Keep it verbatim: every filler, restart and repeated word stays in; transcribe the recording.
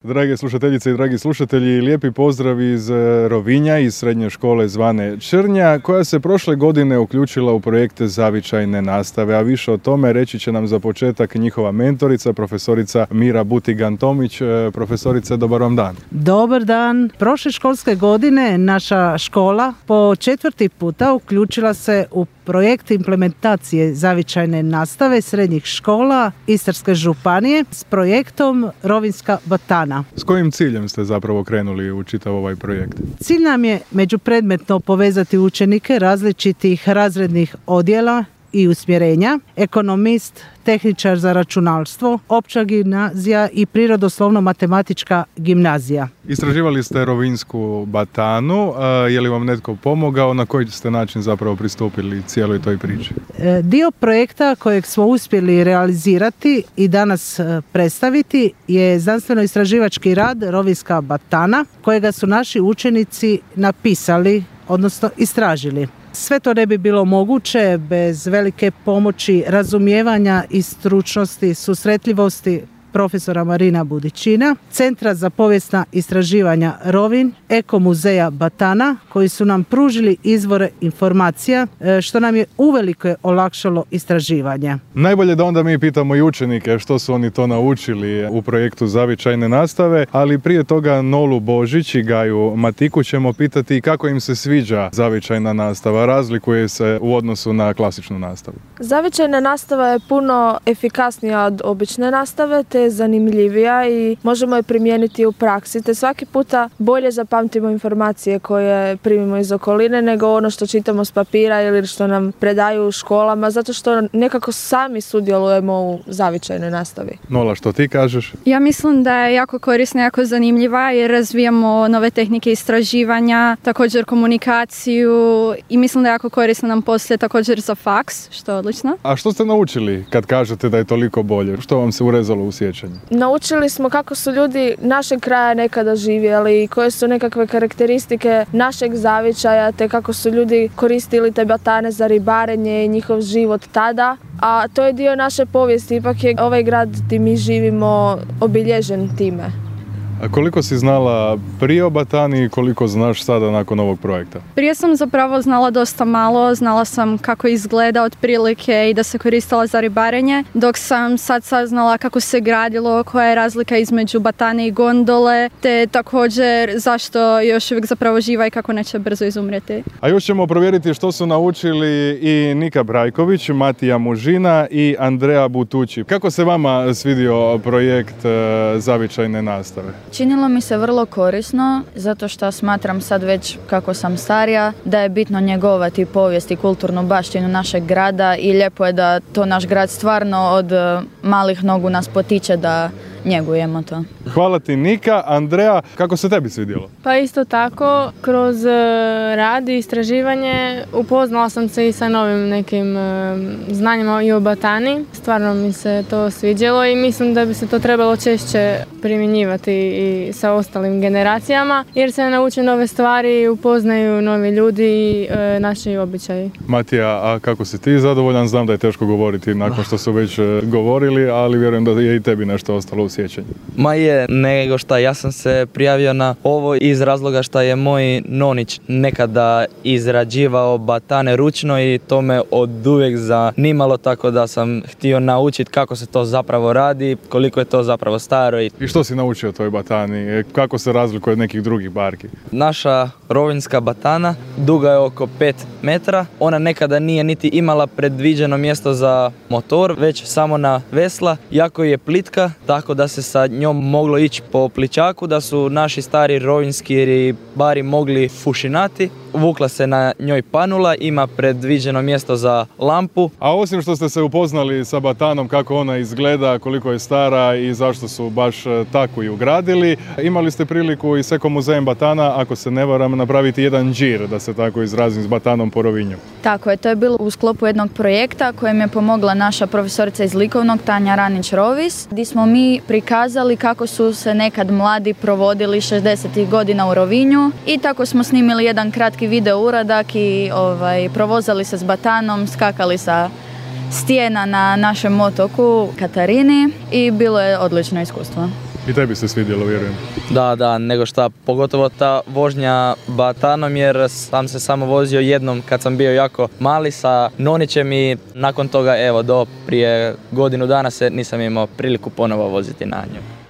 Drage slušateljice i dragi slušatelji, lijepi pozdrav iz Rovinja, iz srednje škole zvane Črnja, koja se prošle godine uključila u projekte zavičajne nastave, a više o tome reći će nam za početak njihova mentorica, profesorica Mira Butigan-Tomić. Profesorice, dobar vam dan. Dobar dan. Prošle školske godine naša škola po četvrti puta uključila se u projekt implementacije zavičajne nastave srednjih škola Istarske županije s projektom Rovinjska batana. S kojim ciljem ste zapravo krenuli u čitav ovaj projekt? Cilj nam je međupredmetno povezati učenike različitih razrednih odjela i usmjerenja, ekonomist, tehničar za računalstvo, opća gimnazija i prirodoslovno-matematička gimnazija. Istraživali ste Rovinjsku batanu, je li vam netko pomogao, na koji ste način zapravo pristupili cijeloj toj priči? Dio projekta kojeg smo uspjeli realizirati i danas predstaviti je znanstveno-istraživački rad Rovinjska batana, kojega su naši učenici napisali, odnosno istražili. Sve to ne bi bilo moguće bez velike pomoći razumijevanja i stručnosti, susretljivosti profesora Marina Budičina, Centra za povijesna istraživanja Rovinj, Eko muzeja Batana, koji su nam pružili izvore informacija, što nam je uvelike olakšalo istraživanje. Najbolje da onda mi pitamo i učenike što su oni to naučili u projektu zavičajne nastave, ali prije toga Nolu Božić i Gaju Matiku ćemo pitati kako im se sviđa zavičajna nastava, razlikuje se u odnosu na klasičnu nastavu. Zavičajna nastava je puno efikasnija od obične nastave, te je zanimljivija i možemo je primijeniti u praksi, te svaki puta bolje zapamtimo informacije koje primimo iz okoline nego ono što čitamo s papira ili što nam predaju u školama, zato što nekako sami sudjelujemo u zavičajnoj nastavi. Nola, što ti kažeš? Ja mislim da je jako korisna, jako zanimljiva jer razvijamo nove tehnike istraživanja, također komunikaciju i mislim da je jako korisna nam poslije također za faks, što je odlično. A što ste naučili kad kažete da je toliko bolje? Što vam se urezalo u sjećanju? Naučili smo kako su ljudi našeg kraja nekada živjeli i koje su nekakve karakteristike našeg zavičaja, te kako su ljudi koristili te batane za ribarenje i njihov život tada. A to je dio naše povijesti, ipak je ovaj grad gdje mi živimo obilježen time. A koliko si znala prije o batani i koliko znaš sada nakon ovog projekta? Prije sam zapravo znala dosta malo, znala sam kako izgleda otprilike i da se koristila za ribarenje, dok sam sad saznala kako se gradilo, koja je razlika između batane i gondole, te također zašto je još uvijek zapravo živa i kako neće brzo izumreti. A još ćemo provjeriti što su naučili i Nika Brajković, Matija Mužina i Andrea Butući. Kako se vama svidio projekt zavičajne nastave? Činilo mi se vrlo korisno, zato što smatram sad već kako sam starija da je bitno njegovati povijest i kulturnu baštinu našeg grada i lijepo je da to naš grad stvarno od malih nogu nas potiče da njegujemo to. Hvala ti Nika. Andrea, kako se tebi svidjelo? Pa isto tako, kroz rad i istraživanje upoznala sam se i sa novim nekim znanjima i o batani. Stvarno mi se to sviđalo i mislim da bi se to trebalo češće primjenjivati i sa ostalim generacijama, jer se nauče nove stvari, upoznaju novi ljudi i e, naši običaji. Matija, a kako si ti zadovoljan? Znam da je teško govoriti nakon što su već govorili, ali vjerujem da je i tebi nešto ostalo u sjećanju. Ma je, nego šta, ja sam se prijavio na ovo iz razloga što je moj nonić nekada izrađivao batane ručno i to me oduvijek zanimalo, tako da sam htio naučiti kako se to zapravo radi, koliko je to zapravo staro. I, I što si naučio o toj batani? Kako se razlikuje od nekih drugih barki? Naša rovinjska batana duga je oko pet metra. Ona nekada nije niti imala predviđeno mjesto za motor, već samo na vesla. Jako je plitka, tako da se sa njom moglo ići po pličaku, da su naši stari rovinjski ribari mogli fušinati. Vukla se na njoj panula, ima predviđeno mjesto za lampu. A osim što ste se upoznali sa batanom, kako ona izgleda, koliko je stara i zašto su baš tako i ugradili, imali ste priliku i s Eko muzejem Batana, ako se ne varam, napraviti jedan džir, da se tako izrazim, s batanom po Rovinju. Tako je, to je bilo u sklopu jednog projekta kojem je pomogla naša profesorica iz likovnog Tanja Ranić-Rovis, gdje smo mi prikazali kako su se nekad mladi provodili šezdesetih godina u Rovinju i tako smo snimili jedan kratki video uradak i ovaj, provozali se s batanom, skakali sa stijena na našem otoku Katarini i bilo je odlično iskustvo. I tebi se svidjelo, vjerujem. Da, da, nego šta, pogotovo ta vožnja batanom jer sam se samo vozio jednom kad sam bio jako mali sa nonićem i nakon toga evo do prije godinu dana se nisam imao priliku ponovo voziti na nju.